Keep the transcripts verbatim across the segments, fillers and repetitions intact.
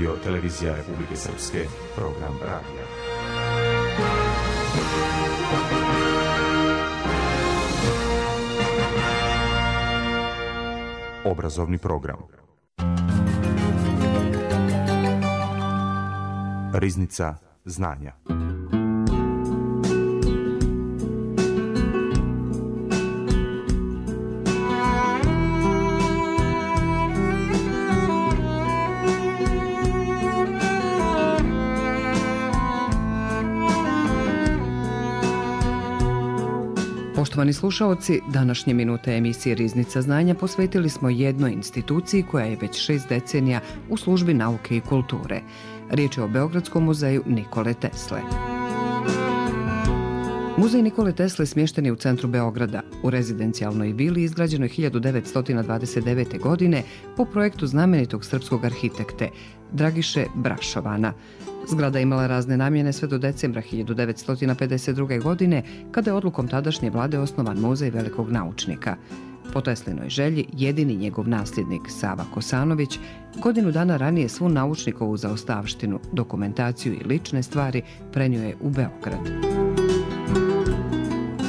Radio Televizija Republike Srpske, program radija. Obrazovni program. Riznica znanja. Poštovani slušaoci, današnje minute emisije Riznica znanja posvetili smo jednoj instituciji koja je već šest decenija u službi nauke i kulture. Riječ je o Beogradskom muzeju Nikole Tesle. Muzej Nikole Tesle smješten je u centru Beograda, u rezidencijalnoj vili izgrađenoj hiljadu devetsto dvadeset devete. godine po projektu znamenitog srpskog arhitekte Dragiše Brašovana. Zgrada je imala razne namjene sve do decembra hiljadu devetsto pedeset druge. godine, kada je odlukom tadašnje vlade osnovan muzej velikog naučnika. Po Teslinoj želji, jedini njegov nasljednik Sava Kosanović godinu dana ranije svu naučnikovu zaostavštinu, dokumentaciju i lične stvari prenio je u Beograd.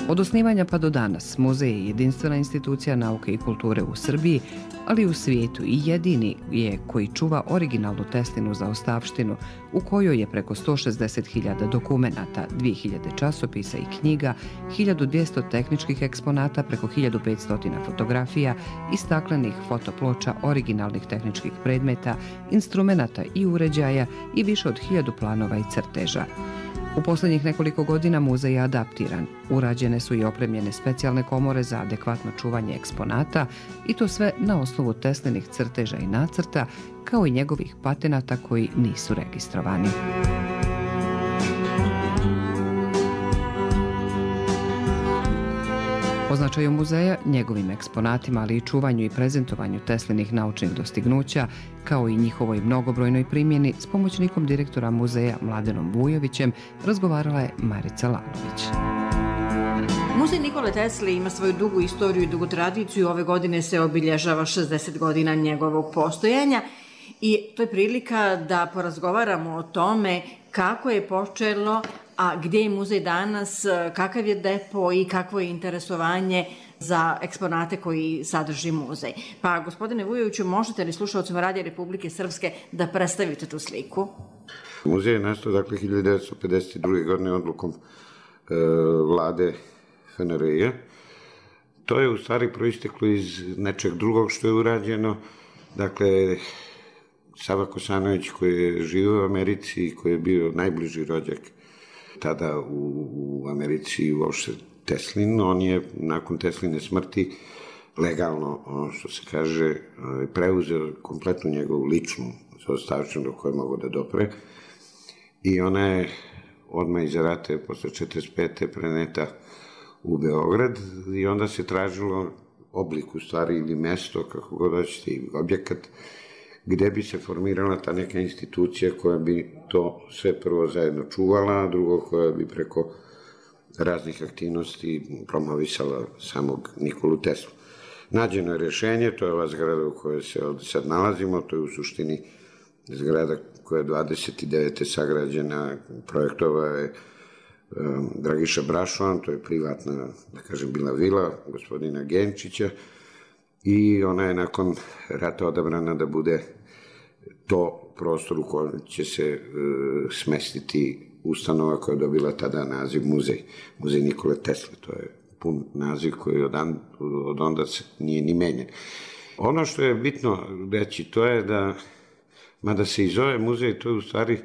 Od osnivanja pa do danas, muzej je jedinstvena institucija nauke i kulture u Srbiji, ali i u svijetu, i jedini je koji čuva originalnu Teslinu zaostavštinu, u kojoj je preko sto šezdeset hiljada dokumenata, dvije hiljade časopisa i knjiga, hiljadu dvjesto tehničkih eksponata, preko hiljadu petsto fotografija i staklenih fotoploča originalnih tehničkih predmeta, instrumenata i uređaja i više od hiljadu planova i crteža. U posljednjih nekoliko godina muzej je adaptiran. Urađene su i opremljene specijalne komore za adekvatno čuvanje eksponata i to sve na osnovu Teslinih crteža i nacrta, kao i njegovih patenata koji nisu registrovani. O značaju muzeja, njegovim eksponatima, ali i čuvanju i prezentovanju Teslinih naučnih dostignuća, kao i njihovoj mnogobrojnoj primjeni, s pomoćnikom direktora muzeja Mladenom Vujovićem razgovarala je Marica Lalović. Muzej Nikole Tesle ima svoju dugu istoriju i dugu tradiciju. Ove godine se obilježava šezdeset godina njegovog postojanja i to je prilika da porazgovaramo o tome kako je počelo, a gdje je muzej danas, kakav je depo i kakvo je interesovanje za eksponate koji sadrži muzej. Pa, gospodine Vujoviću, možete li slušalcima Radija Republike Srpske da predstavite tu sliku? Muzej je nastao, dakle, hiljadu devetsto pedeset druge. godine odlukom e, vlade F N R J. To je u stvari proisteklo iz nečeg drugog što je urađeno. Dakle, Sava Kosanović, koji je živio u Americi i koji je bio najbliži rođak tada u, u Americi i uopšte Teslin, on je nakon Tesline smrti legalno, ono što se kaže, preuzeo kompletnu njegovu ličnu zaostavštinu do koje je mogao da dopre i ona je odmah iza rata posle četrdeset pete preneta u Beograd i onda se tražilo oblik u stvari ili mesto, kako god hoćete, i objekat gde bi se formirala ta neka institucija koja bi to sve prvo zajedno čuvala, a drugo koja bi preko raznih aktivnosti promovisala samog Nikolu Teslu. Nađeno je rješenje, to je ova zgrada u kojoj se ovdje sad nalazimo, to je u suštini zgrada koja je dvadeset devete. sagrađena, projektova je um, Dragiša Brašovan, to je privatna, da kažem, bila vila gospodina Genčića, i ona je nakon rata odabrana da bude to prostor u kojem će se e, smestiti ustanova koja je dobila tada naziv muzej. Muzej Nikole Tesle, to je pun naziv koji od, od onda se nije ni menjen. Ono što je bitno reći, to je da, mada se i zove muzej, to je u stvari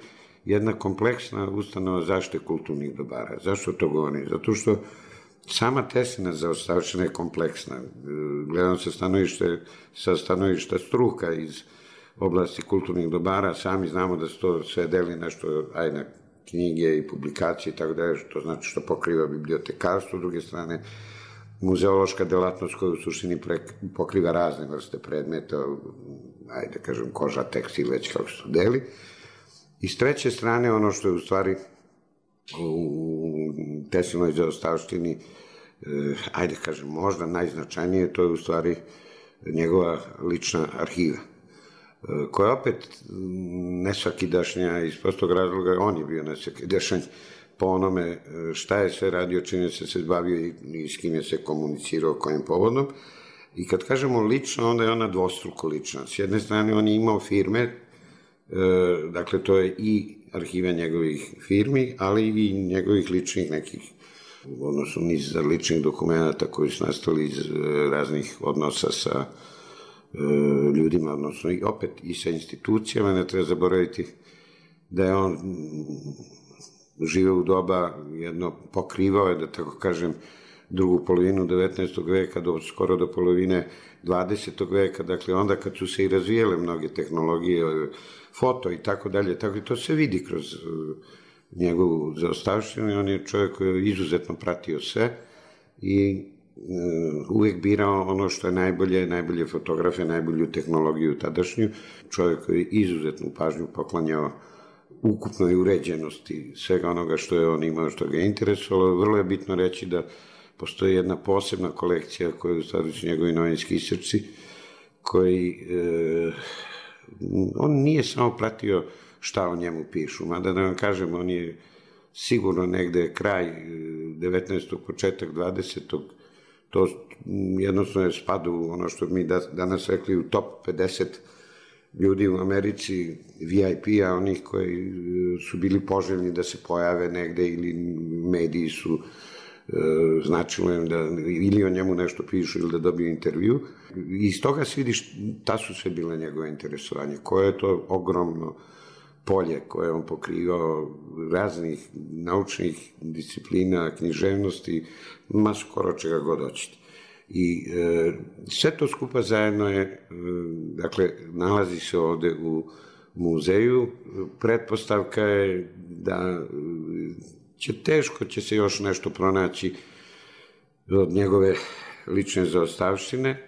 jedna kompleksna ustanova zaštite kulturnih dobara. Zašto to govorim? Zato što sama Teslina zaostavština je kompleksna. Gledam sa stanovišta, sa stanovišta struka iz oblasti kulturnih dobara, sami znamo da se to sve deli nešto, aj na knjige i publikacije i tako da je, to znači što pokriva bibliotekarstvo, s druge strane muzeološka delatnost koja u suštini pokriva razne vrste predmeta, ajde da kažem koža, tekstil, već kako se to deli. I s treće strane ono što je u stvari u Teslinoj zaostavštini, ajde kažem, možda najznačajnije, to je u stvari njegova lična arhiva. koja opet nesvakidašnja iz prostog razloga, on je bio nesvakidašnj po onome šta je sve radio, čime se se bavio i s kim je se komunicirao, kojim povodom. I kad kažemo lično, onda je ona dvostruko lična. S jedne strane, on je imao firme, dakle, to je i arhiva njegovih firmi, ali i njegovih ličnih nekih, odnosno niz ličnih dokumenta koji su nastali iz raznih odnosa sa ljudima, odnosno i opet i sa institucijama. Ne treba zaboraviti da je on živeo u doba, jedno pokrivao je, da tako kažem, drugu polovinu devetnaestog veka do skoro do polovine dvadesetog veka, dakle onda kad su se i razvijele mnoge tehnologije, foto i tako dalje, tako i to se vidi kroz njegovu zaostavštinu i on je čovjek koji je izuzetno pratio sve i uvijek birao ono što je najbolje, najbolje fotografe, najbolju tehnologiju tadašnju, čovjek koji je izuzetnu pažnju poklanjao ukupnoj uređenosti svega onoga što je on imao, što ga je interesovalo. Vrlo je bitno reći da postoji jedna posebna kolekcija koja je u stvari su njegovi novinski isječci, koji e, on nije samo pratio šta o njemu pišu, mada da vam kažem, on je sigurno negde kraj devetnaestog početak dvadesetog to jednostavno je spadu u ono što mi danas rekli u top pedeset ljudi u Americi, V I P-a, onih koji su bili poželjni da se pojave negde ili mediji su značilo im da ili o njemu nešto pišu ili da dobiju intervju. I iz toga se vidi šta su sve bile njegove interesovanje, koje je to ogromno polje koje on pokrivao raznih naučnih disciplina, književnosti, ma skoro čega god hoćete. I e, sve to skupa zajedno je, e, dakle, nalazi se ovde u muzeju. Pretpostavka je da će teško će se još nešto pronaći od njegove lične zaostavštine.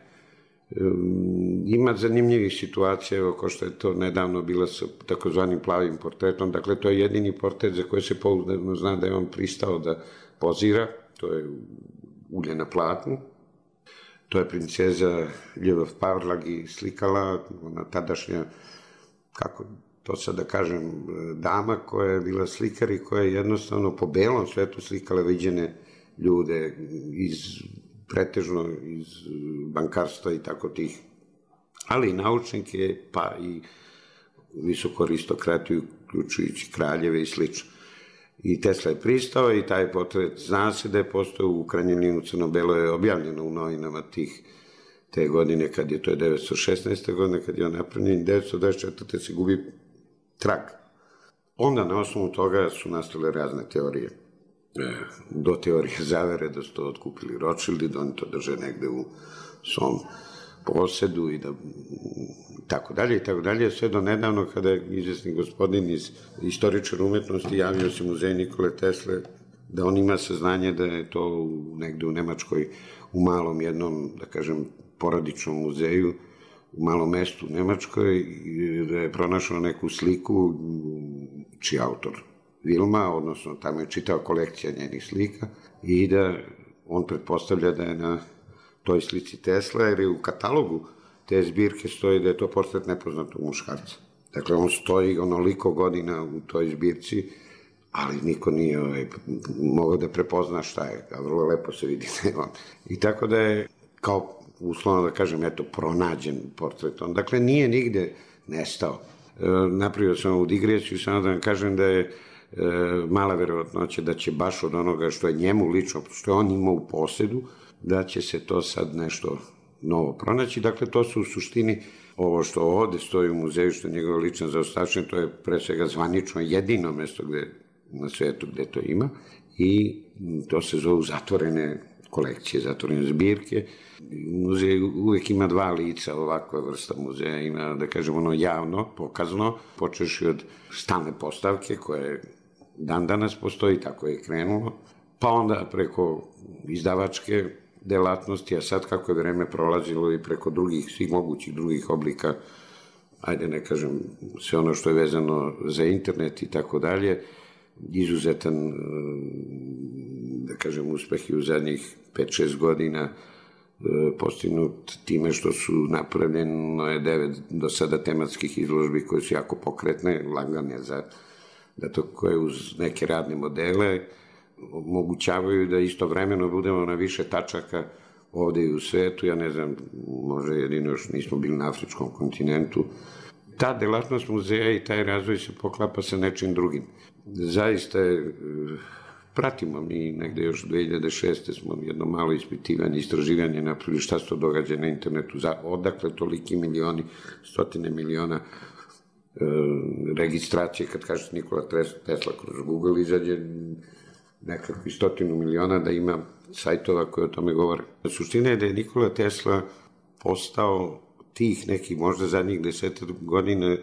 Ima zanimljivih situacija, evo ko što je to nedavno bila sa takozvanim plavim portretom, dakle to je jedini portret za koji se pouzdano zna da je on pristao da pozira, to je ulje na platnu, to je princeza Ljubav Pavlagi slikala, ona tadašnja, kako to sad da kažem, dama koja je bila slikar i koja je jednostavno po belom svetu slikala viđene ljude iz pretežno iz bankarstva i tako tih, ali i naučnike, pa i visoku aristokratiju, uključujući kraljeve i slično. I Tesla je pristao i taj portret, zna se da je postao u Kraljevinom Crno-Belo, je objavljeno u novinama tih te godine, kad je to je devetsto šesnaeste godine, kad je on napravljen, devetsto dvadeset četvrte se gubi trag. Onda na osnovu toga su nastale razne teorije. Do teorije zavere da su to otkupili Rothschildi, da oni to drže negde u svom posedu i da tako dalje i tako dalje, sve do nedavno kada je izvesni gospodin iz istoričar umetnosti javio se muzej Nikole Tesle da on ima saznanje da je to negde u Nemačkoj u malom jednom, da kažem, porodičnom muzeju u malom mestu u Nemačkoj, da je pronašao neku sliku čiji autor Vilma, odnosno tamo je čitao kolekcija njenih slika i da on pretpostavlja da je na toj slici Tesla, jer je u katalogu te zbirke stoji da je to portret nepoznatog muškarca. Dakle, on stoji onoliko godina u toj zbirci, ali niko nije ovaj, mogao da prepozna šta je, a vrlo lepo se vidi da je on. I tako da je, kao uslovno da kažem, eto, pronađen portret on. Dakle, nije nigde nestao. E, napravio sam ovu digresiju, samo da vam kažem da je E, mala verovatnoća da će baš od onoga što je njemu lično, što je on imao u posedu, da će se to sad nešto novo pronaći. Dakle, to su u suštini ovo što ovde stoji u muzeju, što je njegova lična zaostavština, to je pre svega zvanično jedino mesto gde, na svetu gde to ima i to se zove zatvorene kolekcije, zatvorene zbirke. Muzej uvek ima dva lica, ovakva vrsta muzeja ima, da kažem, ono javno, pokazno, počeši od stalne postavke koje dan danas postoji, tako je krenulo, pa onda preko izdavačke delatnosti, a sad kako je vreme prolazilo i preko drugih, svih mogućih drugih oblika, ajde ne kažem, sve ono što je vezano za internet i tako dalje, izuzetan, da kažem, uspeh i u zadnjih pet šest godina postignut time što su napravljeno je devet do sada tematskih izložbi koje su jako pokretne, lagane za da to koje uz neke radne modele omogućavaju da istovremeno budemo na više tačaka ovde i u svetu. Ja ne znam, možda jedino još nismo bili na afričkom kontinentu. Ta delatnost muzeja i taj razvoj se poklapa sa nečim drugim. Zaista je, pratimo mi negde još dve hiljade šeste. smo jedno malo ispitivanje, istraživanje napravili šta se to događa na internetu, odakle toliki milioni, stotine miliona registracije, kad kažete Nikola Tesla kroz Google, izađe nekakvi stotinu miliona da ima sajtova koje o tome govore. Suština je da je Nikola Tesla postao tih nekih možda zadnjih desetak godina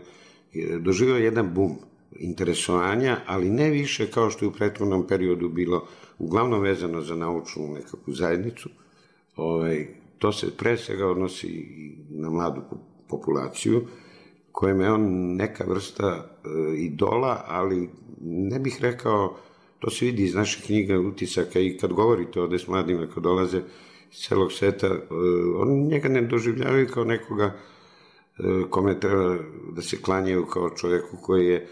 doživio jedan bum interesovanja, ali ne više kao što je u prethodnom periodu bilo uglavnom vezano za naučnu nekakvu zajednicu. Ovaj, to se pre svega odnosi na mladu populaciju, kojem je on neka vrsta e, idola, ali ne bih rekao, to se vidi iz naših knjiga, utisaka i kad govorite ovde s mladima, kad dolaze iz celog sveta, e, oni njega ne doživljavaju kao nekoga e, kome treba da se klanjaju kao čoveku koji je, e,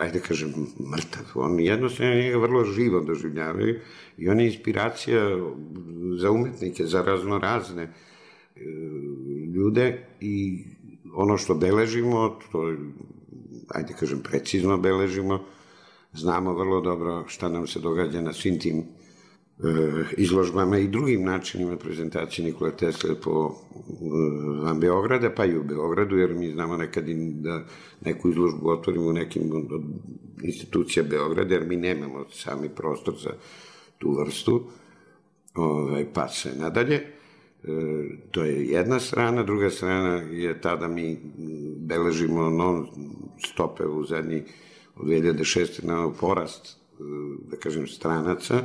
ajde kažem, mrtav. Oni jednostavno njega vrlo živo doživljavaju i on je inspiracija za umetnike, za raznorazne e, ljude i ono što beležimo, to, ajde kažem, precizno beležimo, znamo vrlo dobro šta nam se događa na svim tim e, izložbama i drugim načinima prezentacije Nikole Tesle po e, van Beograda, pa i u Beogradu, jer mi znamo nekad i da neku izložbu otvorimo u nekim od institucija Beograda, jer mi nemamo sami prostor za tu vrstu, ovaj, pa se nadalje. To je jedna strana, druga strana je ta da mi beležimo non stope u zadnji od dve hiljade šeste na porast, da kažem, stranaca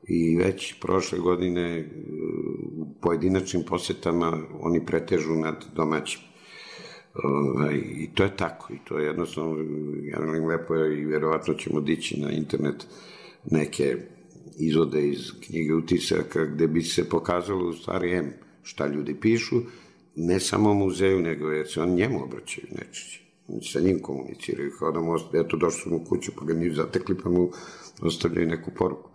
i već prošle godine u pojedinačnim posetama oni pretežu nad domaćim. I to je tako, i to je jednostavno, ja velim, lepo je i verovatno ćemo dići na internet neke izvode iz knjige utisaka gde bi se pokazalo u stvari em šta ljudi pišu, ne samo muzeju, nego jer se on njemu obraćaju nečići. Sa njim komuniciraju, kao da mu ostaje, eto došli su mu kuću pa ga nisu zatekli pa mu ostavljaju neku poruku.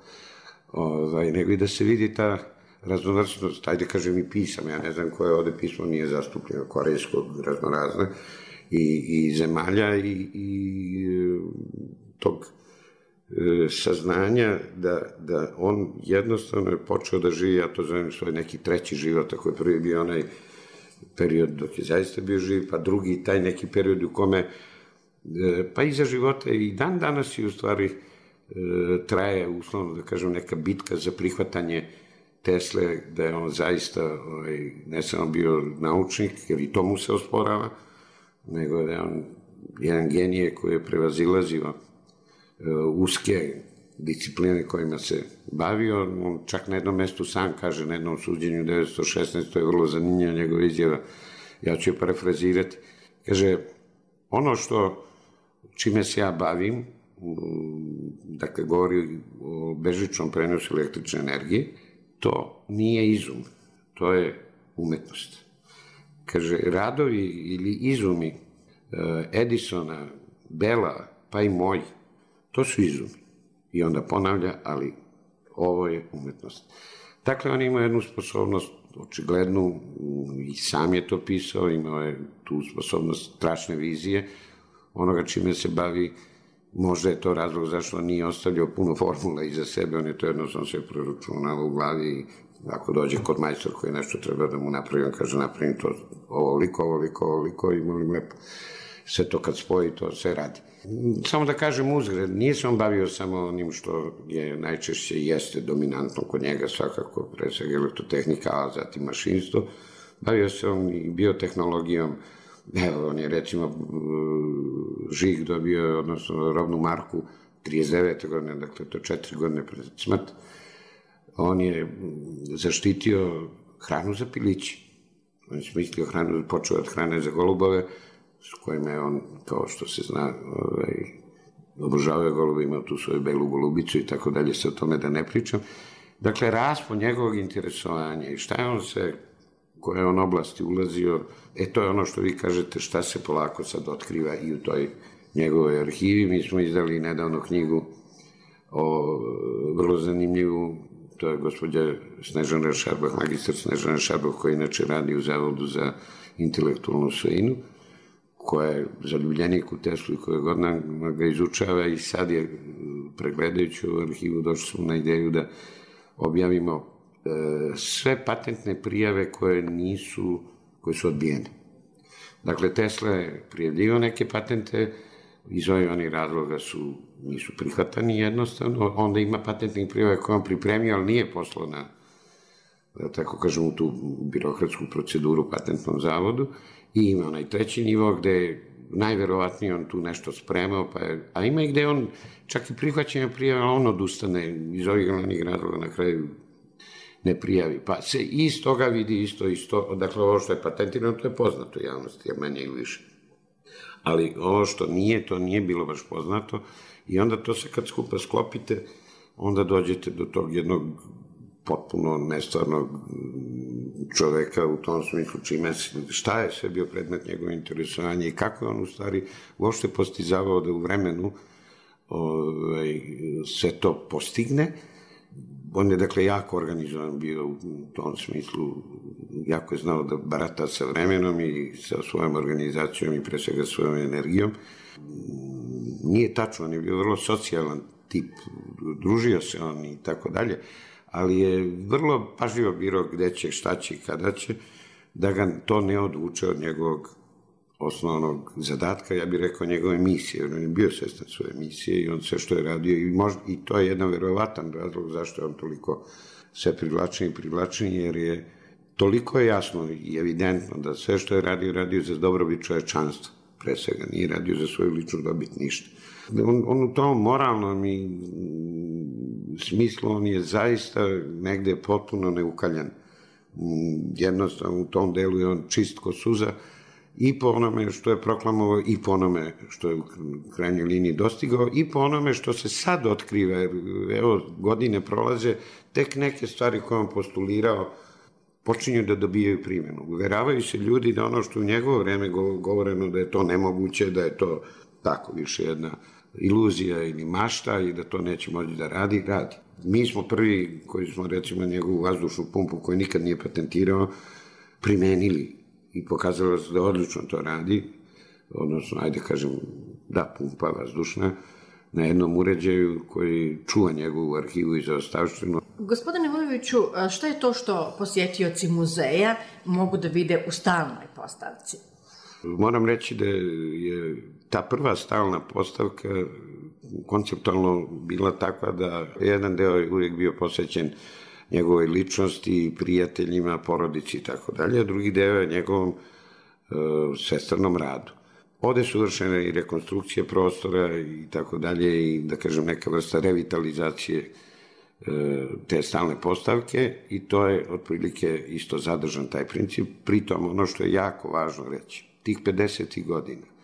Ovaj, nego i da se vidi ta raznovrstnost, ajde kažem i pisama, ja ne znam koje ovde pismo nije zastupljeno, korejskog, raznorazne, i, i zemalja i, i tog saznanja da, da on jednostavno je počeo da živi, ja to zovem svoj neki treći život, ako je prvi bio onaj period dok je zaista bio živ, pa drugi taj neki period u kome, pa iza života i dan danas i u stvari traje, uslovno da kažem, neka bitka za prihvatanje Tesle, da je on zaista ovaj, ne samo bio naučnik, jer i to mu se osporava, nego da je on jedan genije koji je prevazilazio uske discipline kojima se bavio. On čak na jednom mestu sam kaže, na jednom suđenju devetsto šesnaeste. To je vrlo zanimljiva njegova izjava, ja ću je parafrazirati. Kaže, ono što čime se ja bavim, dakle govori o bežičnom prenosu električne energije, to nije izum, to je umetnost. Kaže, radovi ili izumi Edisona, Bela, pa i moji, to su izumi. I onda ponavlja, ali ovo je umetnost. Dakle, on ima jednu sposobnost, očiglednu, i sam je to pisao, imao je tu sposobnost strašne vizije, onoga čime se bavi. Možda je to razlog zašto on nije ostavljao puno formula iza sebe, on je to jednostavno sve proračunao u glavi i ako dođe kod majstor koji nešto treba da mu napravi, on kaže napravim to ovoliko, ovoliko, ovoliko i molim lepo. Sve to kad spoji, to sve radi. Samo da kažem uzgred, nije se on bavio samo onim što je najčešće jeste dominantno kod njega, svakako pre svega elektrotehnika, a zatim mašinstvo. Bavio se on i biotehnologijom. Evo, on je recimo žig dobio, odnosno robnu marku trideset devete godine, dakle to je četiri godine pred smrt. On je zaštitio hranu za pilići. On je smislio hranu, počeo od hrane za golubove, s kojima je on, kao što se zna, ovaj, obožavao golube, imao tu svoju belu golubicu i tako dalje, se o tome da ne pričam. Dakle, raspon njegovog interesovanja i šta je on se, koje je on oblasti ulazio, e to je ono što vi kažete šta se polako sad otkriva i u toj njegovoj arhivi. Mi smo izdali nedavno knjigu o vrlo zanimljivu, to je gospođa Snežana Šarbah, magistar Snežana Šarbah, koja inače radi u Zavodu za intelektualnu svojinu, koja je zaljubljenik u Teslu i koja godinama ga izučava i sad je, pregledajući u arhivu, došli smo na ideju da objavimo e, sve patentne prijave koje nisu, koje su odbijene. Dakle, Tesla je prijavljivao neke patente, iz ovih onih razloga su, nisu prihvatani jednostavno, onda ima patentnih prijave koje on pripremio, ali nije poslao na, da tako kažem, u tu birokratsku proceduru patentnom zavodu, i ima onaj treći nivo gde je najverovatnije on tu nešto spremao, pa je, a ima i gde on čak i prihvaćenja prijava, on odustane iz ovih glavnih razloga, na kraju ne prijavi. Pa se iz toga vidi isto, isto, dakle ovo što je patentirano, to je poznato javnosti, a manje ili više. Ali ovo što nije, to nije bilo baš poznato i onda to se kad skupa sklopite, onda dođete do tog jednog potpuno nestvarnog čoveka u tom smislu, čime, šta je sve bio predmet njegove interesovanja i kako je on u stvari uopšte postizavao da u vremenu ovaj, se to postigne. On je, dakle, jako organizovan bio u tom smislu, jako je znao da barata sa vremenom i sa svojom organizacijom i pre svega svojom energijom. Nije tačno, on je bio vrlo socijalan tip, družio se on i tako dalje, ali je vrlo pažljivo birao gde će, šta će i kada će, da ga to ne odvuče od njegovog osnovnog zadatka, ja bih rekao njegove misije, on je bio svestan svoje misije i on sve što je radio, i, možda, i to je jedan verovatan razlog zašto je on toliko sve privlačniji i privlačniji, jer je toliko je jasno i evidentno da sve što je radio, radio za dobrobit čovečanstva, pre svega, nije radio za svoju ličnu dobit ništa. On, on u tom moralnom i smislu, on je zaista negde potpuno neukaljan. Jednostavno, u tom delu je on čist ko suza, i po onome što je proklamovao, i po onome što je u krajnjoj liniji dostigao, i po onome što se sad otkriva, jer evo, godine prolaze, tek neke stvari koje on postulirao počinju da dobijaju primjenu. Uveravaju se ljudi da ono što u njegovo vreme govoreno da je to nemoguće, da je to tako više jedna iluzija ili mašta i da to neće moći da radi, radi. Mi smo prvi koji smo, recimo, njegovu vazdušnu pumpu koju nikad nije patentirao, primenili i pokazalo se da odlično to radi, odnosno, ajde kažem, da, pumpa vazdušna, na jednom uređaju koji čuva njegovu arhivu i zaostavštinu. Gospodine Vujoviću, šta je to što posjetioci muzeja mogu da vide u stalnoj postavci? Moram reći da je ta prva stalna postavka konceptualno bila takva da jedan deo je uvijek bio posvećen njegovoj ličnosti, prijateljima, porodici i tako dalje, a drugi deo je njegovom e, svestranom radu. Ovde su vršene i rekonstrukcije prostora i tako dalje i, da kažem, neka vrsta revitalizacije e, te stalne postavke i to je otprilike isto zadržan taj princip. Pritom, ono što je jako važno reći, tih pedesetih godina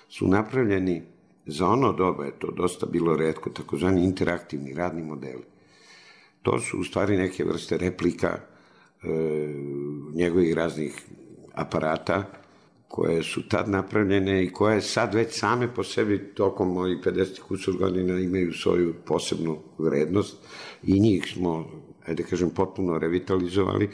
su napravljeni, za ono doba je to dosta bilo retko, takozvani interaktivni radni modeli. To su u stvari neke vrste replika e, njegovih raznih aparata koje su tad napravljene i koje sad već same po sebi tokom mojih pedeset kusur godina imaju svoju posebnu vrednost i njih smo, ajde kažem, potpuno revitalizovali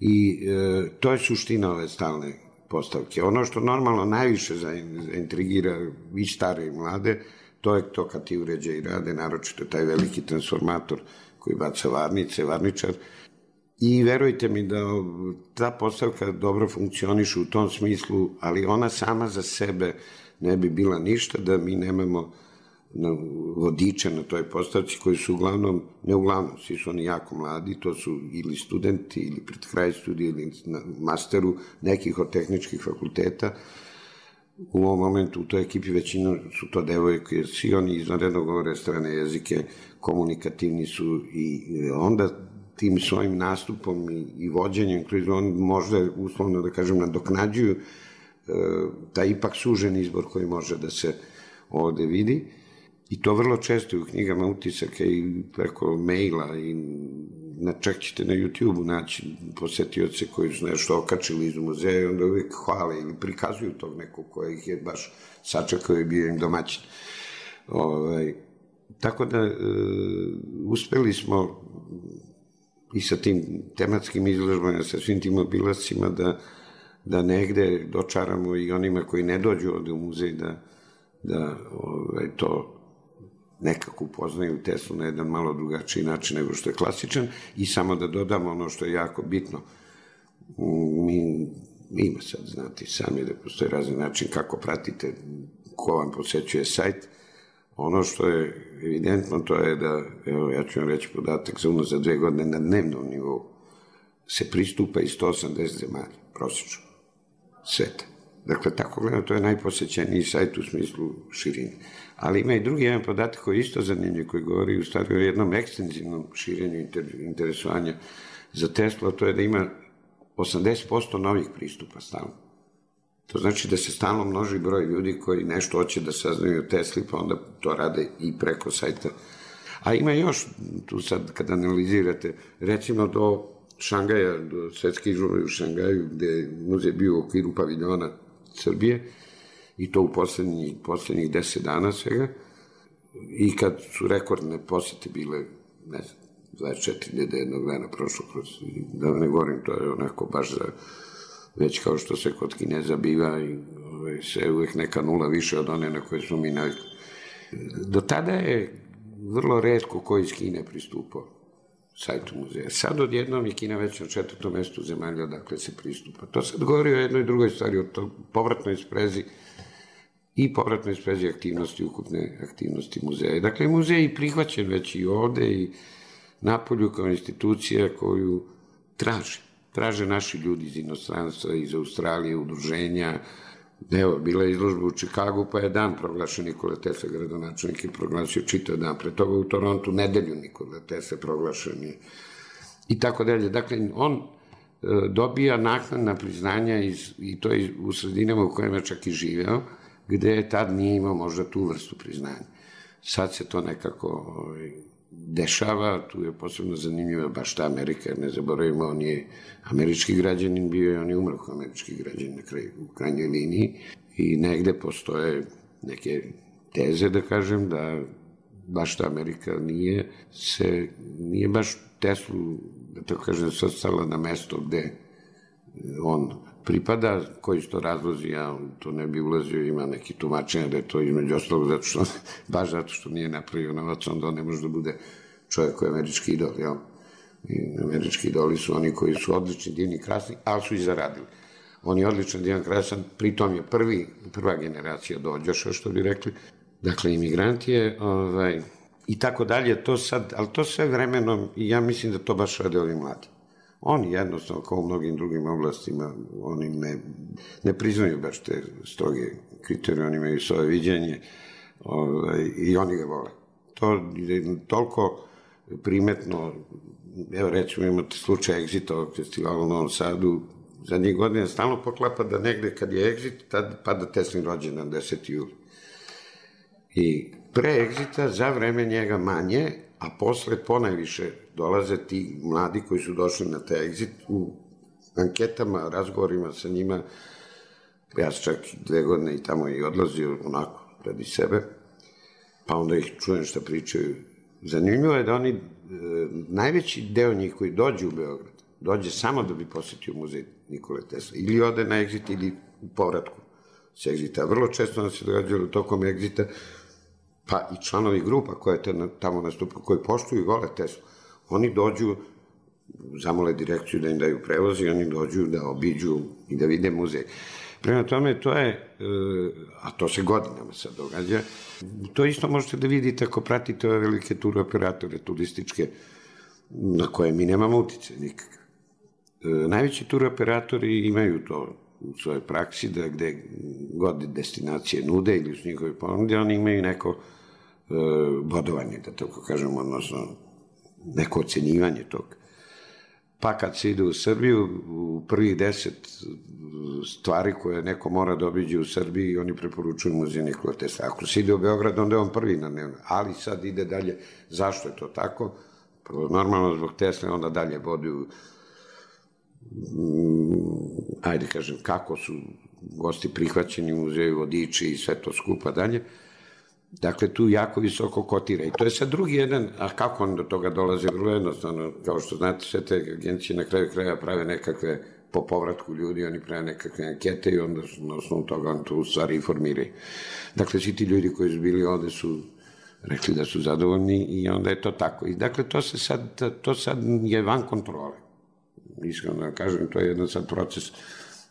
i e, to je suština ove stalne postavke. Ono što normalno najviše zaintrigira i stare i mlade, to je to kad ti uređaji rade, naročito taj veliki transformator koji baca varnice, varničar. I verujte mi da ta postavka dobro funkcioniše u tom smislu, ali ona sama za sebe ne bi bila ništa da mi nemamo vodiče na toj postavci koji su uglavnom, ne uglavnom, svi su oni jako mladi, to su ili studenti ili pred kraj studija ili na masteru nekih od tehničkih fakulteta. U ovom momentu u toj ekipi većina su to devojke, svi oni izvanredno govore strane jezike, komunikativni su i onda tim svojim nastupom i, i vođenjem, kroz on možda, uslovno da kažem, nadoknađuju e, taj ipak sužen izbor koji može da se ovde vidi. I to vrlo često u knjigama utisaka i preko maila i na, čak ćete na YouTube-u naći posetioce koji su nešto okačili iz muzeja i onda uvijek hvale ili prikazuju tog nekog koja ih je baš sačekao i bio im domaćin. Ovaj, tako da e, uspeli smo i sa tim tematskim izložbama, sa svim tim obilascima da, da negde dočaramo i onima koji ne dođu ovde u muzej da, da ovaj, to nekako upoznaju Teslu na jedan malo drugačiji način nego što je klasičan. I samo da dodamo ono što je jako bitno, mi ima sad, znate, sami da postoje razni način kako pratite ko vam posećuje sajt. Ono što je evidentno to je da, evo ja ću vam reći podatak za unazad dve godine na dnevnom nivou se pristupa i sto osamdeset zemalja, prosječno, sveta. Dakle, tako gledam, to je najposećeniji sajt u smislu širine. Ali ima i drugi jedan podatak koji je isto zanimljiv, koji govori u stvari o jednom ekstenzivnom širenju interesovanja za Teslu, a to je da ima osamdeset posto novih pristupa stalno. To znači da se stalno množi broj ljudi koji nešto hoće da saznaju o Tesli, pa onda to rade i preko sajta. A ima još, tu sad kad analizirate, recimo do Šangaja, do svetske izložbe u Šangaju, gde je muzej bio u okviru paviljona Srbije, i to u poslednjih, poslednjih deset dana svega, i kad su rekordne posete bile, ne znam, dvadeset četiri hiljade jednog dana prošlo kroz, da ne govorim, to je onako baš za, već kao što se kod Kineza biva i ovaj, sve uvek neka nula više od one na koje smo mi navikli. Do tada je vrlo retko ko iz Kine pristupao sajtu muzeja. Sad odjednom je Kina već na četvrtom mestu zemalja odakle se pristupa. To sad govori o jednoj drugoj stvari, o to povratnoj sprezi i povratnoj sprezi aktivnosti, ukupne aktivnosti muzeja. Dakle, muzej je prihvaćen već i ovde i napolju kao institucija koju traže. Traže naši ljudi iz inostranstva, iz Australije, udruženja. Evo, bila je izložba u Čikagu, pa je dan proglašen Nikola Tesla, gradonačelnik je proglasio čitav dan. Pre toga u Torontu nedelju Nikola Tesla proglašen je. I tako dalje. Dakle, on e, dobija naknadna priznanja iz, i to je u sredinama u kojima je čak i živeo, gde tad nije imao možda tu vrstu priznanja. Sad se to nekako ovaj, dešava, tu je posebno zanimljiva baš ta Amerika, jer ne zaboravimo, on je američki građanin bio i on je umro kao američki građanin na kraju, u krajnjoj liniji, i negde postoje neke teze, da kažem, da baš ta Amerika nije se, nije baš Teslu, da tako kažem, svrstala na mesto gde on pripada, koji su to razlozi, ja to ne bi ulazio, ima neki tumačenja da je to između ostalog, zato što, baš zato što nije napravio novac, onda on ne može da bude čovjek koji je američki idol, jel? I američki idoli su oni koji su odlični, divni, krasni, ali su i zaradili. On je odličan, divan, krasan, pritom je prvi, prva generacija dođoša, što bi rekli, dakle, imigrant je, ovaj, i tako dalje, to sad, ali to sve vremenom, i ja mislim da to baš rade ovi mladi. Oni jednostavno, kao u mnogim drugim oblastima, oni ne, ne priznaju baš te stroge kriterije, oni imaju svoje viđenje, ovaj, i oni ga vole. To je toliko primetno, evo recimo imate slučaj Exita ovog festivala u Novom Sadu, zadnjih godina stalno poklapa da negde kad je Exit, tad pada Teslin rođendan deseti juli. I pre Exita, za vreme njega manje, a posle ponajviše dolaze ti mladi koji su došli na taj Exit u anketama, razgovorima sa njima. Ja sam čak dve godine i tamo i odlazio onako radi sebe, pa onda ih čujem šta pričaju. Zanimljivo je da oni, e, najveći deo njih koji dođe u Beograd, dođe samo da bi posetio muzej Nikole Tesla. Ili ode na Exit ili u povratku s Exita. Vrlo često nam se događalo tokom Exita, pa i članovi grupa koje tamo nastupaju, koji poštuju i vole Teslu, oni dođu, zamole direkciju da im daju prevoz i oni dođu da obiđu i da vide muzej. Prema tome, to je, a to se godinama sad događa, to isto možete da vidite ako pratite ove velike tur operatore turističke, na koje mi nemamo utice nikakav. Najveći tur operatori imaju to u svojoj praksi, da gde god destinacije nude ili u njihove ponude, oni imaju neko e, bodovanje, da tako kažem, odnosno neko ocenjivanje tog. Pa kad se ide u Srbiju, u prvih deset stvari koje neko mora da obiđe u Srbiji, oni preporučuju muzej Nikole Tesle. Ako se ide u Beograd, onda je on prvi na dnevno. Ali sad ide dalje. Zašto je to tako? Prvo, normalno zbog Tesle, onda dalje vodu, ajde kažem, kako su gosti prihvaćeni u muzeju, vodiči i sve to skupa dalje. Dakle, tu jako visoko kotira. I to je sad drugi jedan, a kako on do toga dolaze? Vrlo jednostavno, kao što znate, sve te agencije na kraju kraja prave nekakve, po povratku ljudi, oni prave nekakve ankete i onda na osnovu toga on tu stvari informiraju. Dakle, svi ti ljudi koji su bili ovde su rekli da su zadovoljni i onda je to tako. I dakle, to se sad, to sad je van kontrole. Iskreno da kažem, to je jedan sad proces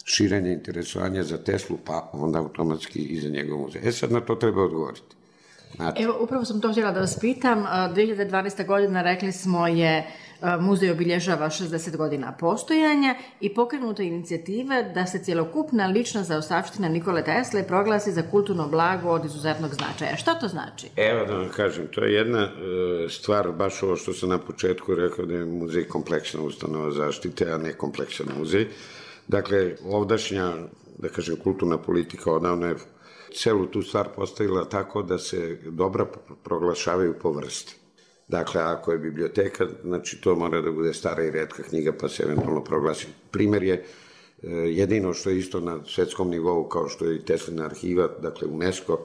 širenja interesovanja za Teslu, pa onda automatski i za njegov muzej. E sad na to treba odgovoriti. Znači. Evo, upravo sam to htjela da vas pitam. dve hiljade dvanaeste. godina, rekli smo, je muzej obilježava šezdeset godina postojanja i pokrenuta inicijativa da se cjelokupna lična zaostavština Nikole Tesle proglasi za kulturno blago od izuzetnog značaja. Šta to znači? Evo da vam kažem, to je jedna e, stvar, baš ovo što sam na početku rekao da je muzej kompleksna ustanova zaštite, a ne kompleksan muzej. Dakle, ovdašnja, da kažem, kulturna politika odavno je celu tu stvar postavila tako da se dobra proglašavaju po vrsti. Dakle, ako je biblioteka, znači to mora da bude stara i retka knjiga, pa se eventualno proglasi. Primer je jedino što je isto na svetskom nivou, kao što je i Teslina arhiva, dakle UNESCO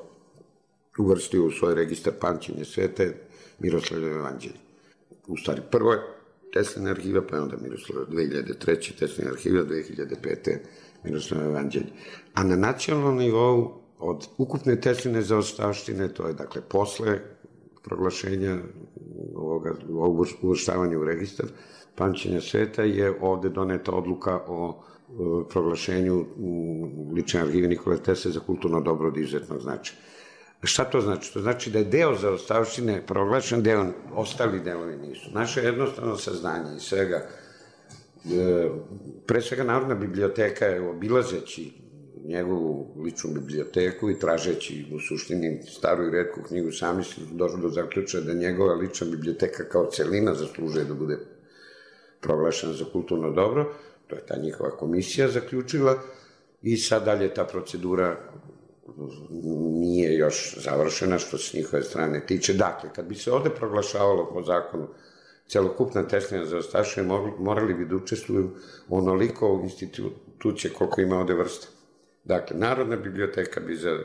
uvrstio u svoj registar Pamćenje svete Miroslavljevo evanđelje. U stvari, prvo je Teslina arhiva, pa je onda Miroslavljevo dve hiljade treće. Teslina arhiva, dve hiljade pete. Miroslavljevo evanđelje. A na nacionalnom nivou, od ukupne Tesline zaostavštine, to je dakle posle proglašenja ovoga, ovog uvrštavanja u registar Pamćenja sveta, je ovde doneta odluka o proglašenju lične arhive Nikole Tesle za kulturno dobro od izuzetnog značaja. Šta to znači? To znači da je deo zaostavštine proglašen, deo, ostali delovi nisu. Naše jednostavno saznanje i svega, pre svega Narodna biblioteka je obilazeći njegovu ličnu biblioteku i tražeći u suštini staru i retku knjigu, sami su došli do zaključaja da njegova lična biblioteka kao celina zaslužuje da bude proglašena za kulturno dobro. To je ta njihova komisija zaključila i sad dalje ta procedura nije još završena što se njihove strane tiče. Dakle, kad bi se ovde proglašavalo po zakonu celokupna Teslina zaostavština, morali bi da učestvuju onoliko institucije koliko ima ovde vrsta. Dakle, Narodna biblioteka bi za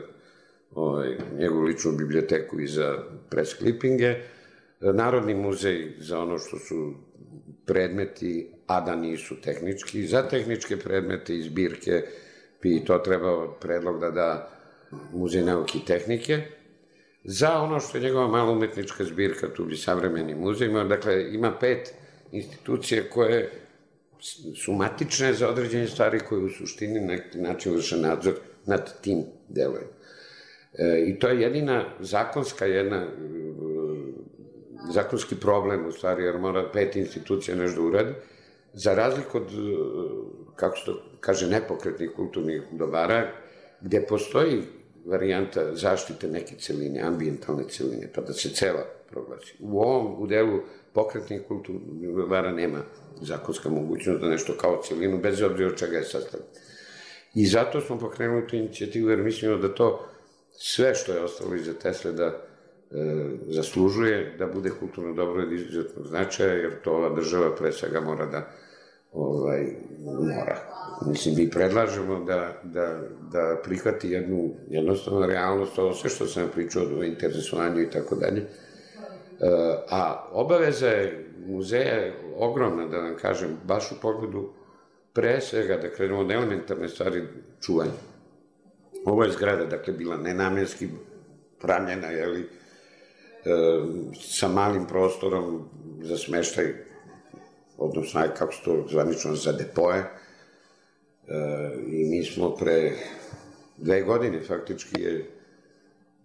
ovaj, njegovu ličnu biblioteku i za press klipinge, Narodni muzej za ono što su predmeti, a da nisu tehnički, za tehničke predmete i zbirke bi to trebao predlog da da Muzej nauke i tehnike, za ono što je njegova malo umetnička zbirka, tu bi Savremeni muzej, dakle, ima pet institucije koje su matične za određene stvari koje u suštini na neki način vrše nadzor nad tim delovima. E, I to je jedina zakonska, jedna zakonski problem u stvari, jer mora pet institucija nešto da uradi, za razliku od, kako se to kaže, nepokretnih kulturnih dobara, gde postoji varijanta zaštite neke celine, ambijentalne celine, pa da se cela proglasi. U ovom, u delu pokretnih kulturnih dobara nema zakonska mogućnost da nešto kao celinu, bez obzira od čega je sastavljeno. I zato smo pokrenuli tu inicijativu, jer mislimo da to sve što je ostalo iza Tesle da e, zaslužuje, da bude kulturno dobro od izuzetnog značaja, jer to ova država pre svega mora da ovaj, mora. Mislim, mi predlažemo da, da, da prihvati jednu jednostavnu realnost, ovo sve što sam pričao o interesovanju i tako dalje. A obaveza je muzeja ogromna, da vam kažem, baš u pogledu pre svega, da krenemo od elementarne stvari čuvanja. Ovo je zgrada, dakle, bila nenamjenski pravljena, jeli, sa malim prostorom za smeštaj, odnosno, kako se to zvanično, za depoje. I mi smo pre dve godine, faktički je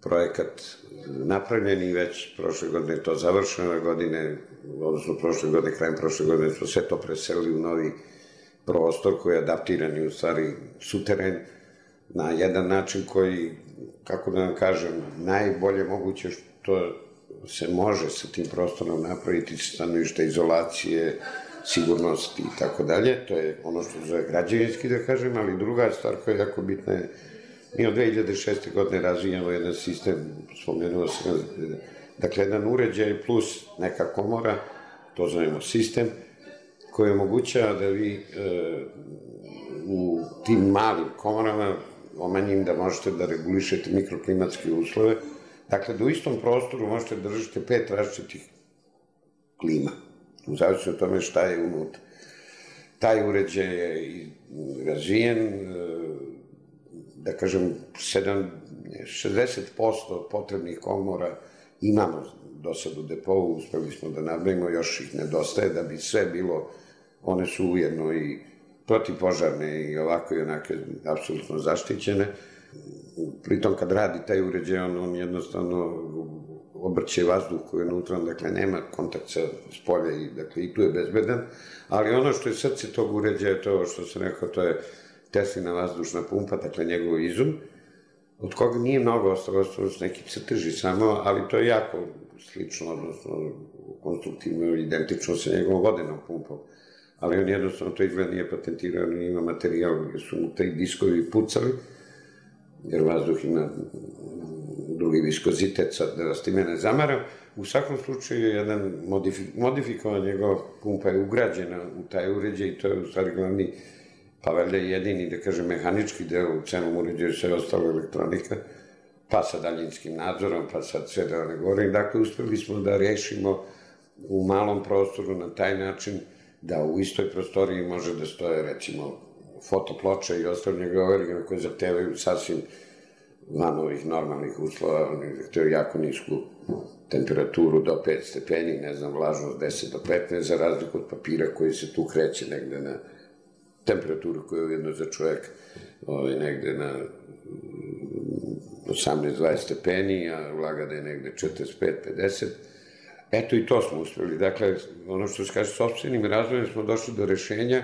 projekat napravljen i već prošle godine je to završeno, godine, odnosno prošle godine, krajem prošle godine smo sve to preselili u novi prostor koji je adaptiran i u stvari suteren na jedan način koji, kako da vam kažem, najbolje moguće što se može sa tim prostorom napraviti sa stanovišta izolacije, sigurnost i tako dalje. To je ono što zove građevinski, da kažem, ali druga stvar koja je jako bitna je, mi od dve hiljade šeste. godine razvijamo jedan sistem, spomenuo sam, dakle, jedan uređaj plus neka komora, to zovemo sistem, koji omogućava da vi e, u tim malim komorama, omanjim da možete da regulišete mikroklimatske uslove, dakle, da u istom prostoru možete da držite pet različitih klima, u zavisnosti od tome šta je unutra. Taj uređaj je razvijen, da kažem, šezdeset posto potrebnih komora imamo do sad u depovu, uspeli smo da nabavimo, još ih nedostaje, da bi sve bilo, one su ujedno i protivpožarne i ovako i onake apsolutno zaštićene. Pritom kad radi taj uređaj, on, on jednostavno obrće vazduh koji je unutra, dakle nema kontakt sa spolja i, dakle, i tu je bezbedan, ali ono što je srce tog uređaja, to što sam rekao, to je Teslina vazdušna pumpa, dakle njegov izum, od koga nije mnogo ostalo, ostalo su neki crteži samo, ali to je jako slično, odnosno konstruktivno, identično sa njegovom vodenom pumpom. Ali on jednostavno to izgleda nije patentirao, nije ima materijal, jer su mu taj diskovi pucali, jer vazduh ima drugi viskozitet, sad da vas time ne zamaram. U svakom slučaju, jedan modifikovan njegova pumpa je ugrađena u taj uređaj i to je u stvari glavni, pa valjda jedini, da kažem, mehanički deo u celom uređaju, sve ostalo elektronika, pa sa daljinskim nadzorom, pa sad sve da ne govorim. Dakle, uspeli smo da rešimo u malom prostoru na taj način da u istoj prostoriji može da stoje, recimo, fotoploča i ostalo njegove origine koje zahtevaju sasvim van ovih normalnih uslova, oni zahtevaju jako nisku temperaturu do pet stepeni, ne znam, vlažnost deset do petnaest, za razliku od papira koji se tu kreće negde na temperaturu koja je ujedno za čovjek negde na osamnaest do dvadeset stepeni, a vlaga da je negde četrdeset pet do pedeset. Eto i to smo uspeli. Dakle, ono što se kaže, sopstvenim razvojem smo došli do rešenja,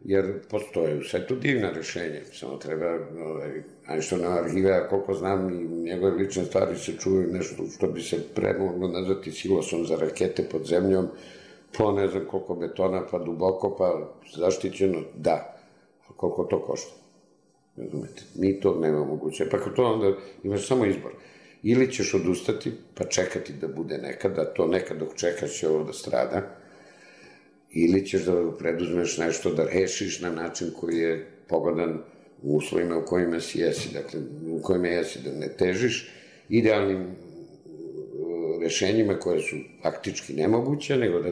jer postoje sve tu divna rešenja. Samo treba, Einsteinova arhiva, koliko znam, i njegove lične stvari se čuju nešto što bi se premoglo nazvati silosom za rakete pod zemljom, po ne znam koliko betona, pa duboko, pa zaštićeno, da. Koliko to košta? Razumete? Mi to nema moguće. Pa kao to onda imaš samo izbor. Ili ćeš odustati, pa čekati da bude nekada, to nekad dok čekaš će ovo da strada, ili ćeš da preduzmeš nešto da rešiš na način koji je pogodan u uslovima u kojima si jesi, dakle, u kojima jesi da ne težiš idealnim rešenjima koje su faktički nemoguće, nego da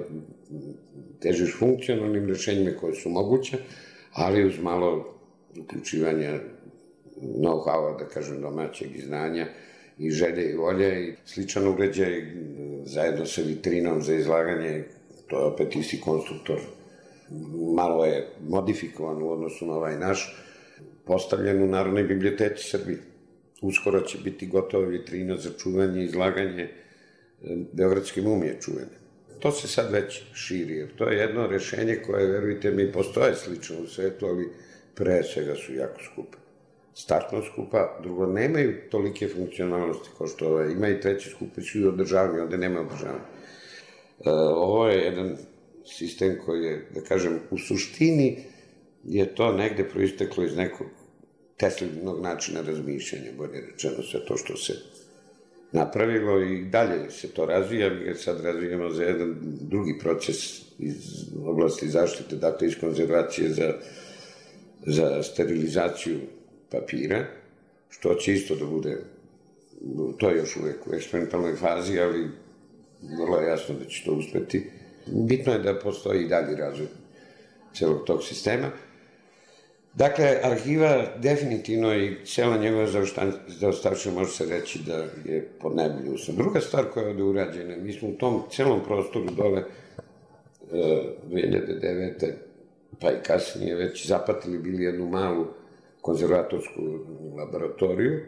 težiš funkcionalnim rešenjima koje su moguće, ali uz malo uključivanja know-howa, da kažem, domaćeg i znanja i želje i volje i sličan uređaj zajedno sa vitrinom za izlaganje, to je opet isti konstruktor, malo je modifikovan u odnosu na ovaj naš, postavljen u Narodnoj biblioteci Srbije. Uskoro će biti gotova vitrina za čuvanje i izlaganje beogradske mumije čuvene. To se sad već širi, jer to je jedno rešenje koje, verujte mi, postoje slično u svetu, ali pre svega su jako skupe. Startno skupa, drugo, nemaju tolike funkcionalnosti kao što ovaj, ima i treći skupe su i održavanje, onda nema održavanja. E, ovo je jedan sistem koji je, da kažem, u suštini je to negde proisteklo iz nekog Teslinog načina razmišljanja, bolje rečeno sve to što se napravilo i dalje se to razvija, mi ga sad razvijamo za jedan drugi proces iz oblasti zaštite, dakle iz konzervacije za, za sterilizaciju papira, što će isto da bude, to je još uvek u eksperimentalnoj fazi, ali vrlo je jasno da će to uspeti. Bitno je da postoji i dalji razvoj celog tog sistema. Dakle, arhiva definitivno i cela njegova zaostavština može se reći da je pod najbolji uslov. Druga stvar koja je ovde urađena, mi smo u tom celom prostoru dole dve hiljade devete pa i kasnije već zapatili bili jednu malu konzervatorsku laboratoriju,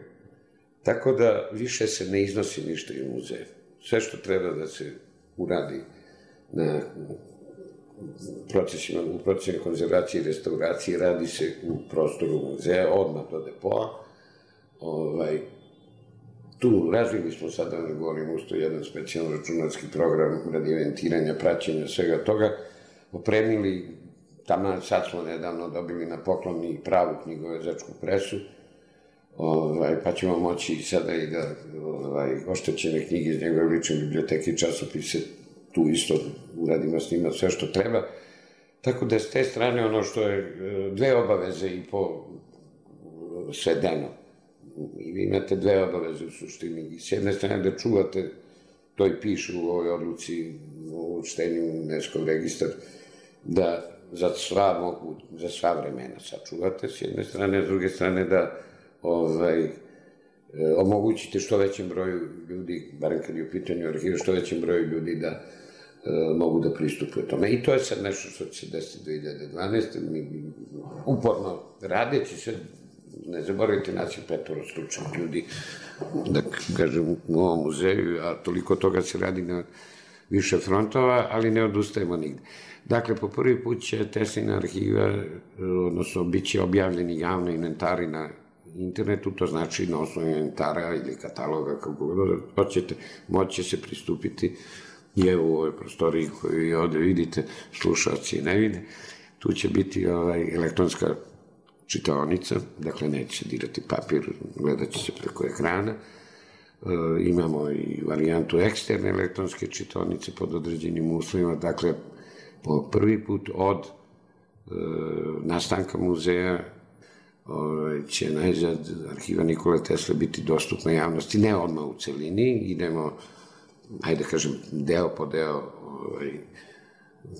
tako da više se ne iznosi ništa iz muzeja. Sve što treba da se uradi na procesima, u procesima konzervacije i restauracije radi se u prostoru muzeja, odmah do depoa. Ovaj, tu razvili smo sad, da ne govorim, usto jedan specijalno računarski program radi eventiranja, praćenja, svega toga, opremili, tamo sad smo nedavno dobili na poklon i pravu knjigovezačku presu, ovaj, pa ćemo moći sada i da ovaj, oštećene knjige iz njegove lične biblioteke i časopise tu isto uradimo s njima sve što treba. Tako da s te strane ono što je dve obaveze i po svedeno. I vi imate dve obaveze u suštini. S jedne strane da čuvate, to i piše u ovoj odluci u učtenju UNESCO registar, da za sva, mogu, za sva vremena sačuvate s jedne strane, a s druge strane da ovaj, omogućite što većem broju ljudi, barem kad je u pitanju arhiva, što većem broju ljudi da e, mogu da pristupuju tome. I to je sad nešto što će se desiti do dve hiljade dvanaeste. Mi uporno radeći se, ne zaboravite nas je petoro stručnih ljudi, da kažem, u ovom muzeju, a toliko toga se radi na više frontova, ali ne odustajemo nigde. Dakle, po prvi put će Teslina arhiva, odnosno, bit će objavljeni javni inventari na internetu, to znači na osnovu inventara ili kataloga, kako god hoćete, moći će se pristupiti i evo u ovoj prostoriji koju i ovde vidite, slušalci ne vide, tu će biti ovaj, elektronska čitaonica, dakle neće se dirati papir, gledat će se preko ekrana. E, imamo i varijantu eksterne elektronske čitaonice pod određenim uslovima, dakle po prvi put od e, nastanka muzeja ovaj, će najzad arhiva Nikole Tesle biti dostupna javnosti, ne odmah u celini, idemo, ajde kažem, deo po deo, ovaj,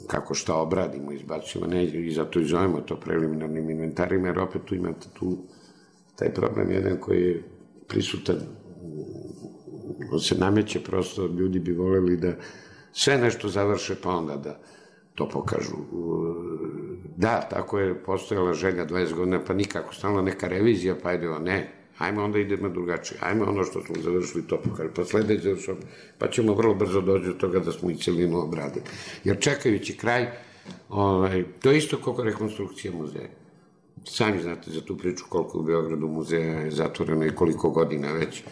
kako šta obradimo, izbacujemo, ne, i zato i zovemo to preliminarnim inventarima, jer opet tu imate tu taj problem jedan koji je prisutan, on se nameće prosto, ljudi bi voleli da sve nešto završe, pa onda da to pokažu. Da, tako je postojala želja dvadeset godina, pa nikako, stalno neka revizija, pa ajde, ne, ajmo onda idemo drugačije, ajmo ono što smo završili, to pokažu, pa sledeći završamo, pa ćemo vrlo brzo doći do toga da smo i celinu obradili. Jer čekajući kraj, ovaj, to je isto kako rekonstrukcija muzeja. Sami znate za tu priču koliko u Beogradu muzeja je zatvoreno i koliko godina već.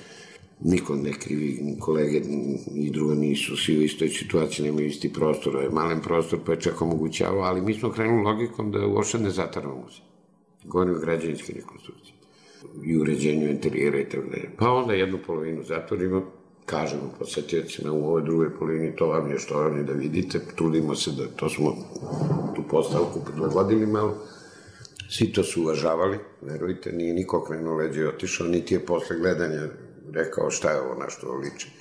Niko ne krivi, ni kolege i druga nisu, svi u istoj situaciji, nemaju isti prostor, je malen prostor pa je čak omogućavao, ali mi smo krenuli logikom da uopšte ne zatvaramo muzej. Govorim o građevinske rekonstrukcije i uređenju interijera i tako dalje. Pa onda jednu polovinu zatvorimo, kažemo posetiocima u ovoj drugoj polovini, to vam je što vam je da vidite, trudimo se da to smo tu postavku prilagodili malo. Svi to su uvažavali, verujte, nije niko krenuo leđe i otišao, niti je posle gledanja rekao šta je ovo na što liči.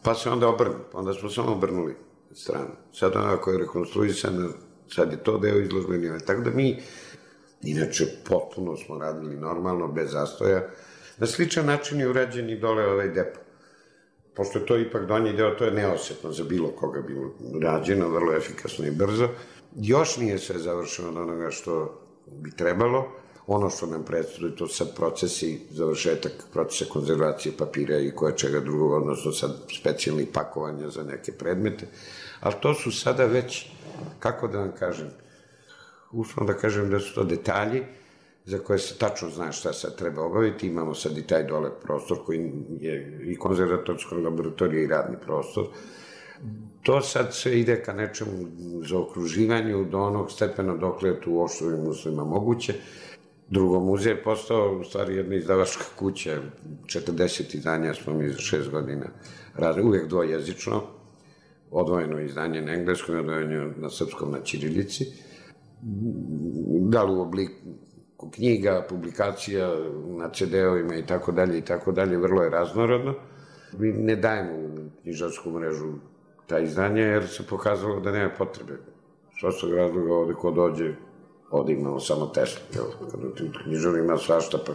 Pa se onda obrnu, onda smo samo obrnuli stranu. Sad onako je rekonstruisano, sad je to deo izložbenja, tako da mi, inače potpuno smo radili normalno, bez zastoja. Na sličan način je urađen i dole ovaj depo. Pošto je to ipak donji deo, to je neosetno za bilo koga bilo rađeno, vrlo efikasno i brzo. Još nije sve završeno od onoga što bi trebalo. Ono što nam predstavlja, to sad procesi, završetak procesa konzervacije papira i koje čega drugog, odnosno sad specijalnih pakovanja za neke predmete. Ali to su sada već, kako da vam kažem, uslovno da kažem da su to detalji za koje se tačno zna šta sad treba obaviti. Imamo sad i taj dole prostor koji je i konzervatorska laboratorija i radni prostor. To sad sve ide ka nečemu zaokruživanju do onog stepena dokle je tu u oštovim uslovima moguće. Drugo, muzej je postao u stvari jedna izdavačka kuća, četrdeset izdanja smo mi za šest godina razli, uvek dvojezično, odvojeno izdanje na engleskom i odvojeno na srpskom na ćirilici, da li u obliku knjiga, publikacija, na ce de-ovima i tako dalje i tako dalje, vrlo je raznorodno. Mi ne dajemo u knjižarsku mrežu ta izdanja jer se pokazalo da nema potrebe. S ostog razloga ovde ko dođe, ovde imamo samo Tesla, kada u tim knjižaru ima svašta, pa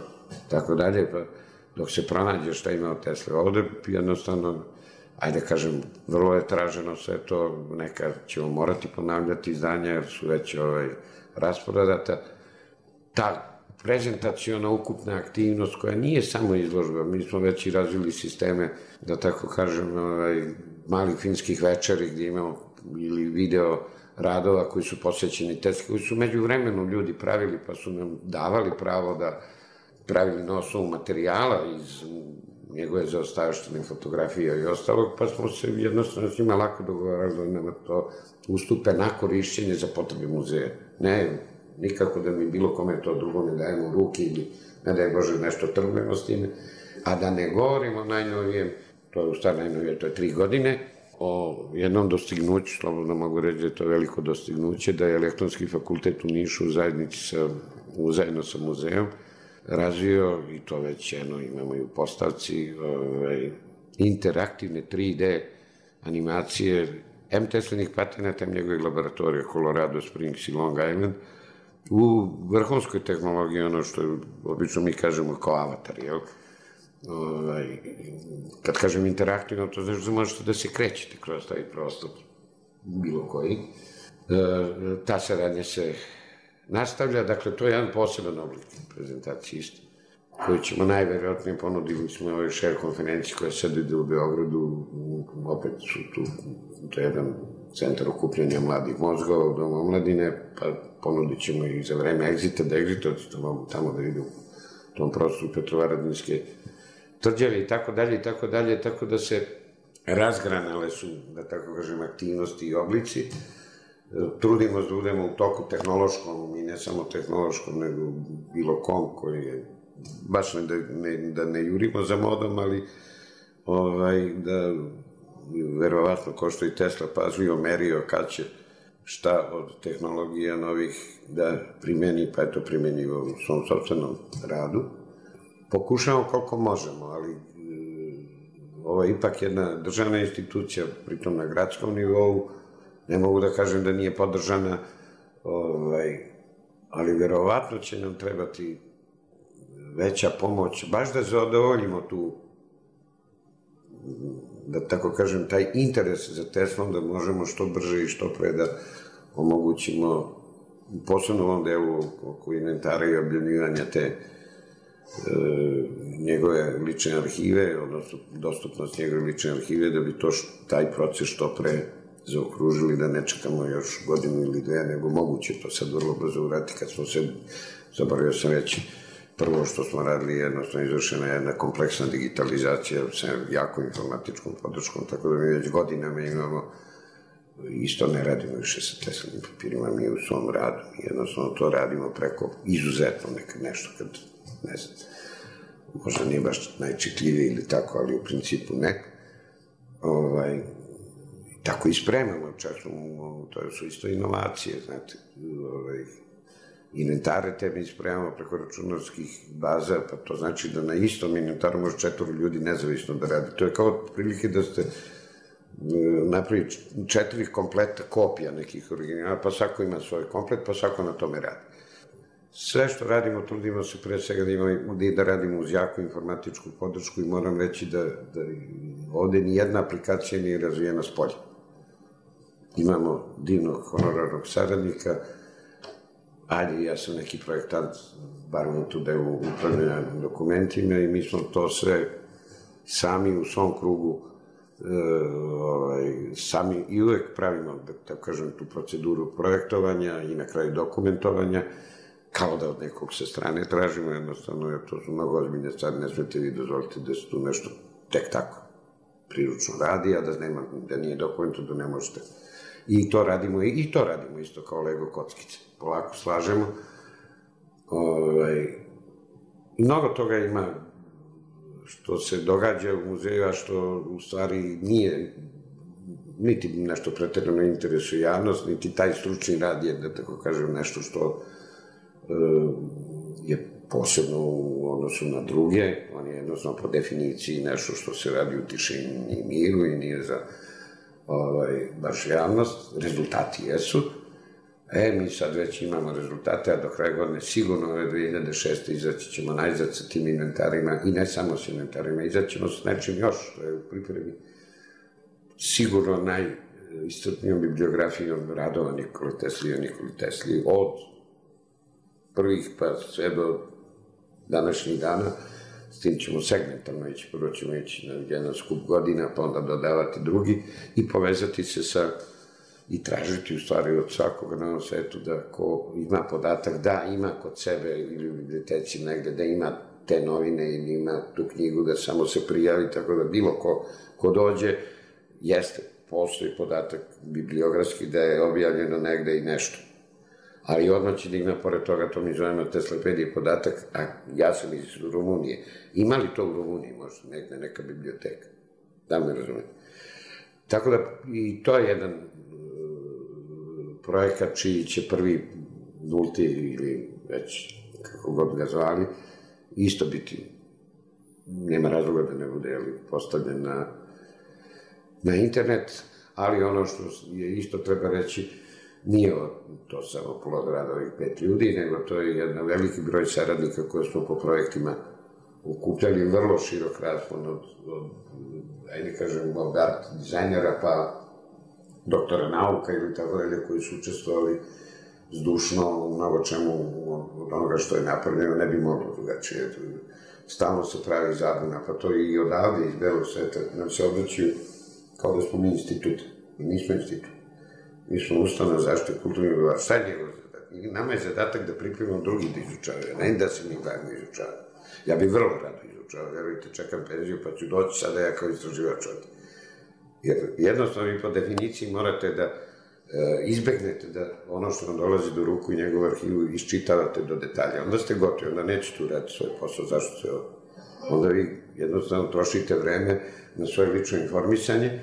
tako dalje, pa dok se pronađe šta ima od Tesla. Ovde jednostavno, ajde kažem, vrlo je traženo sve to, neka ćemo morati ponavljati izdanja jer su već ovaj, rasporedata. Ta prezentacijona ukupna aktivnost koja nije samo izložba, mi smo već i razvili sisteme, da tako kažem, ovaj, malih finskih večeri gdje imamo ili video radova koji su posvećeni Tesli, koji su među vremenu ljudi pravili, pa su nam davali pravo da pravili na osnovu materijala iz njegove zaostavštine fotografija i ostalog, pa smo se jednostavno s njima lako dogovarali da nama to ustupe na korišćenje za potrebe muzeja. Ne, nikako da mi bilo kome to drugo ne dajemo u ruke ili ne daj Bože nešto trgujemo s time, a da ne govorimo o najnovijem, to je u stvari najnovije, to je tri godine, o jednom dostignuću, slobodno mogu reći da je to veliko dostignuće, da je Elektronski fakultet u Nišu u zajednici sa, zajedno sa muzejom razvio, i to već jedno imamo i u postavci, ovaj, interaktivne tri D animacije em Teslinih patenata, em njegovih laboratorija, Colorado Springs i Long Island, u vrhunskoj tehnologiji, ono što je, obično mi kažemo kao avatar, jel? Ovaj, kad kažem interaktivno, to znači da možete da se krećete kroz taj prostor, bilo koji. E, ta saradnja se nastavlja, dakle, to je jedan poseban oblik prezentacije isto, koju ćemo najverovatnije ponudili smo ovoj share konferenciji koja sad ide u Beogradu, opet su tu, to je jedan centar okupljanja mladih mozgova u Domu omladine, pa ponudit ćemo i za vreme Exita, da Exitoci mogu tamo da idu u tom prostoru Petrovaradinske tvrđave i tako dalje i tako dalje, tako da se razgranale su, da tako kažem, aktivnosti i oblici. Trudimo se da budemo u toku tehnološkom i ne samo tehnološkom, nego bilo kom koji je, baš ne da ne, da ne jurimo za modom, ali ovaj, da verovatno ko što i Tesla pažljivo merio kad će šta od tehnologija novih da primeni, pa je to primenjivo u svom sopstvenom radu. Pokušamo koliko možemo, ali e, ovo je ipak jedna državna institucija, pritom na gradskom nivou, ne mogu da kažem da nije podržana, ovaj, ali verovatno će nam trebati veća pomoć, baš da zadovoljimo tu, da tako kažem, taj interes za Teslom, da možemo što brže i što pre da omogućimo, posebno u ovom delu oko inventara i objavljivanja te e, njegove lične arhive, odnosno dostupnost njegove lične arhive, da bi to, taj proces što pre zaokružili, da ne čekamo još godinu ili dve, nego moguće to sad vrlo brzo uraditi kad smo se, zaboravio sam reći, prvo što smo radili, jednostavno izvršena jedna kompleksna digitalizacija sa jako informatičkom podrškom, tako da mi već godinama imamo, isto ne radimo više sa Teslinim papirima, mi u svom radu, jednostavno to radimo preko izuzetno nekad nešto, kad, ne znam, možda nije baš najčitljivije ili tako, ali u principu ne. Ovaj, tako i spremamo, čak smo, to su isto inovacije, znate, ovaj, inventare te mi spremamo preko računarskih baza, pa to znači da na istom inventaru može četvoro ljudi nezavisno da radi. To je kao prilike da ste napravi četiri kompleta kopija nekih originala, pa svako ima svoj komplet, pa svako na tome radi. Sve što radimo, trudimo se pre svega da, imamo, da radimo uz jaku informatičku podršku i moram reći da, da ovde nijedna aplikacija nije razvijena s polja. Imamo divnog honorarnog saradnika, ajde, ja sam neki projektant, bar u tu delu upravljanja dokumentima i mi smo to sve sami u svom krugu e, ovaj, sami i uvek pravimo, da tako kažem, tu proceduru projektovanja i na kraju dokumentovanja, kao da od nekog sa strane tražimo, jednostavno, jer to su mnogo ozbiljne stvari, ne smete vi dozvoliti da se tu nešto tek tako priručno radi, a da, nema, da nije dokumento, da ne možete. I to radimo, i to radimo isto kao Lego kockice. Polako slažemo. Ovaj, mnogo toga ima što se događa u muzeju, a što u stvari nije niti nešto preterano interesuje javnost, niti taj stručni rad je, da tako kažem, nešto što e, je posebno u odnosu na druge. On je jednostavno po definiciji nešto što se radi u tišini i miru i nije za ovaj, baš javnost. Rezultati jesu. E, mi sad već imamo rezultate, a do kraja godine sigurno ove dve hiljade šeste. izaći ćemo najzad sa tim inventarima i ne samo sa inventarima, izaći ćemo s nečim još, što je u pripremi sigurno najiscrpnijom bibliografijom radova Nikole Tesli i Nikoli Tesli od prvih pa sve do današnjih dana. S tim ćemo segmentalno ići, prvo ćemo ići na jedan skup godina, pa onda dodavati drugi i povezati se sa i tražiti u stvari od svakoga na ovom svetu da ko ima podatak da ima kod sebe ili u biblioteci negde da ima te novine i ima tu knjigu da samo se prijavi, tako da bilo ko, ko dođe, jeste, postoji podatak bibliografski da je objavljeno negde i nešto. Ali odmah će digna, pored toga, to mi zovemo Teslepedije podatak, a ja sam iz Rumunije. Ima li to u Rumuniji, možda negde neka biblioteka? Da me razumete. Tako da, i to je jedan projekat čiji će prvi nulti ili već kako god ga zvali, isto biti, nema razloga da ne bude postavljen na, na internet, ali ono što je isto treba reći, nije to samo plod rada ovih pet ljudi, nego to je jedan veliki broj saradnika koje smo po projektima ukupljali, vrlo širok raspon od, od ajde kažem, od art dizajnera pa doktora nauka ili tako dalje, koji su učestvovali zdušno u mnogo čemu od onoga što je napravljeno, ne bi moglo drugačije. Stalno se pravi zabuna, pa to i odavde iz belog sveta nam se obraćaju kao da smo mi institut. Mi nismo institut. Mi smo ustanova zaštite kulturnih dobara. Šta je njegov zadatak? Nama je zadatak da pripremimo drugi da izučavaju, ne da se mi gledamo izučavaju. Ja bih vrlo rado izučavao, verujte, čekam penziju, pa ću doći sada ja kao istraživač ovdje. Jer jednostavno vi po definiciji morate da izbegnete da ono što vam dolazi do ruku i njegovu arhivu iščitavate do detalja. Onda ste gotovi, onda nećete uraditi svoj posao, zašto se ovo? Onda vi jednostavno trošite vreme na svoje lično informisanje,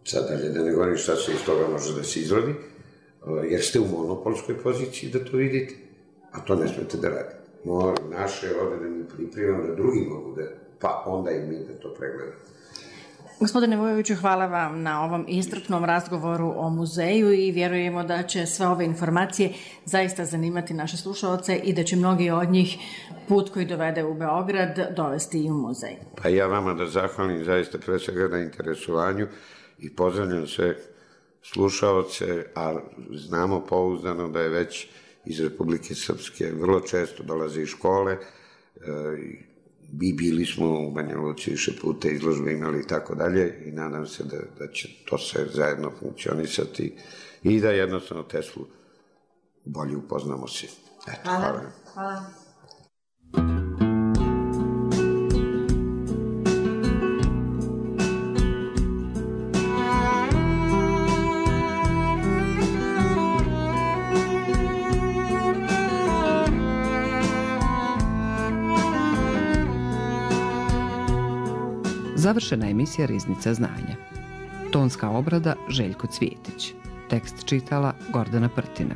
sad dalje da ne govorim šta se iz toga može da se izrodi, jer ste u monopolskoj poziciji da to vidite, a to ne smete da radite. Naše je ovde da mi pripremamo da drugi mogu da, pa onda i mi da to pregledamo. Gospodine Vujoviću, hvala vam na ovom iscrpnom razgovoru o muzeju i vjerujemo da će sve ove informacije zaista zanimati naše slušaoce i da će mnogi od njih put koji dovede u Beograd dovesti i u muzej. Pa ja vama da zahvalim zaista pre svega na interesovanju i pozdravljam sve slušaoce, a znamo pouzdano da je već iz Republike Srpske vrlo često dolaze iz škole i bili smo u Banja Luci više puta, izložbe imali i tako dalje i nadam se da, da će to sve zajedno funkcionisati i da jednostavno Teslu bolje upoznamo svi. Eto, hvala. Hvala. Hvala. Završena emisija Riznica znanja. Tonska obrada Željko Cvijetić. Tekst čitala Gordana Prtina.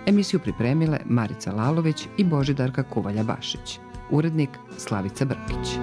Emisiju pripremile Marica Lalović i Božidarka Kuvalja-Bašić. Urednik Slavica Brkić.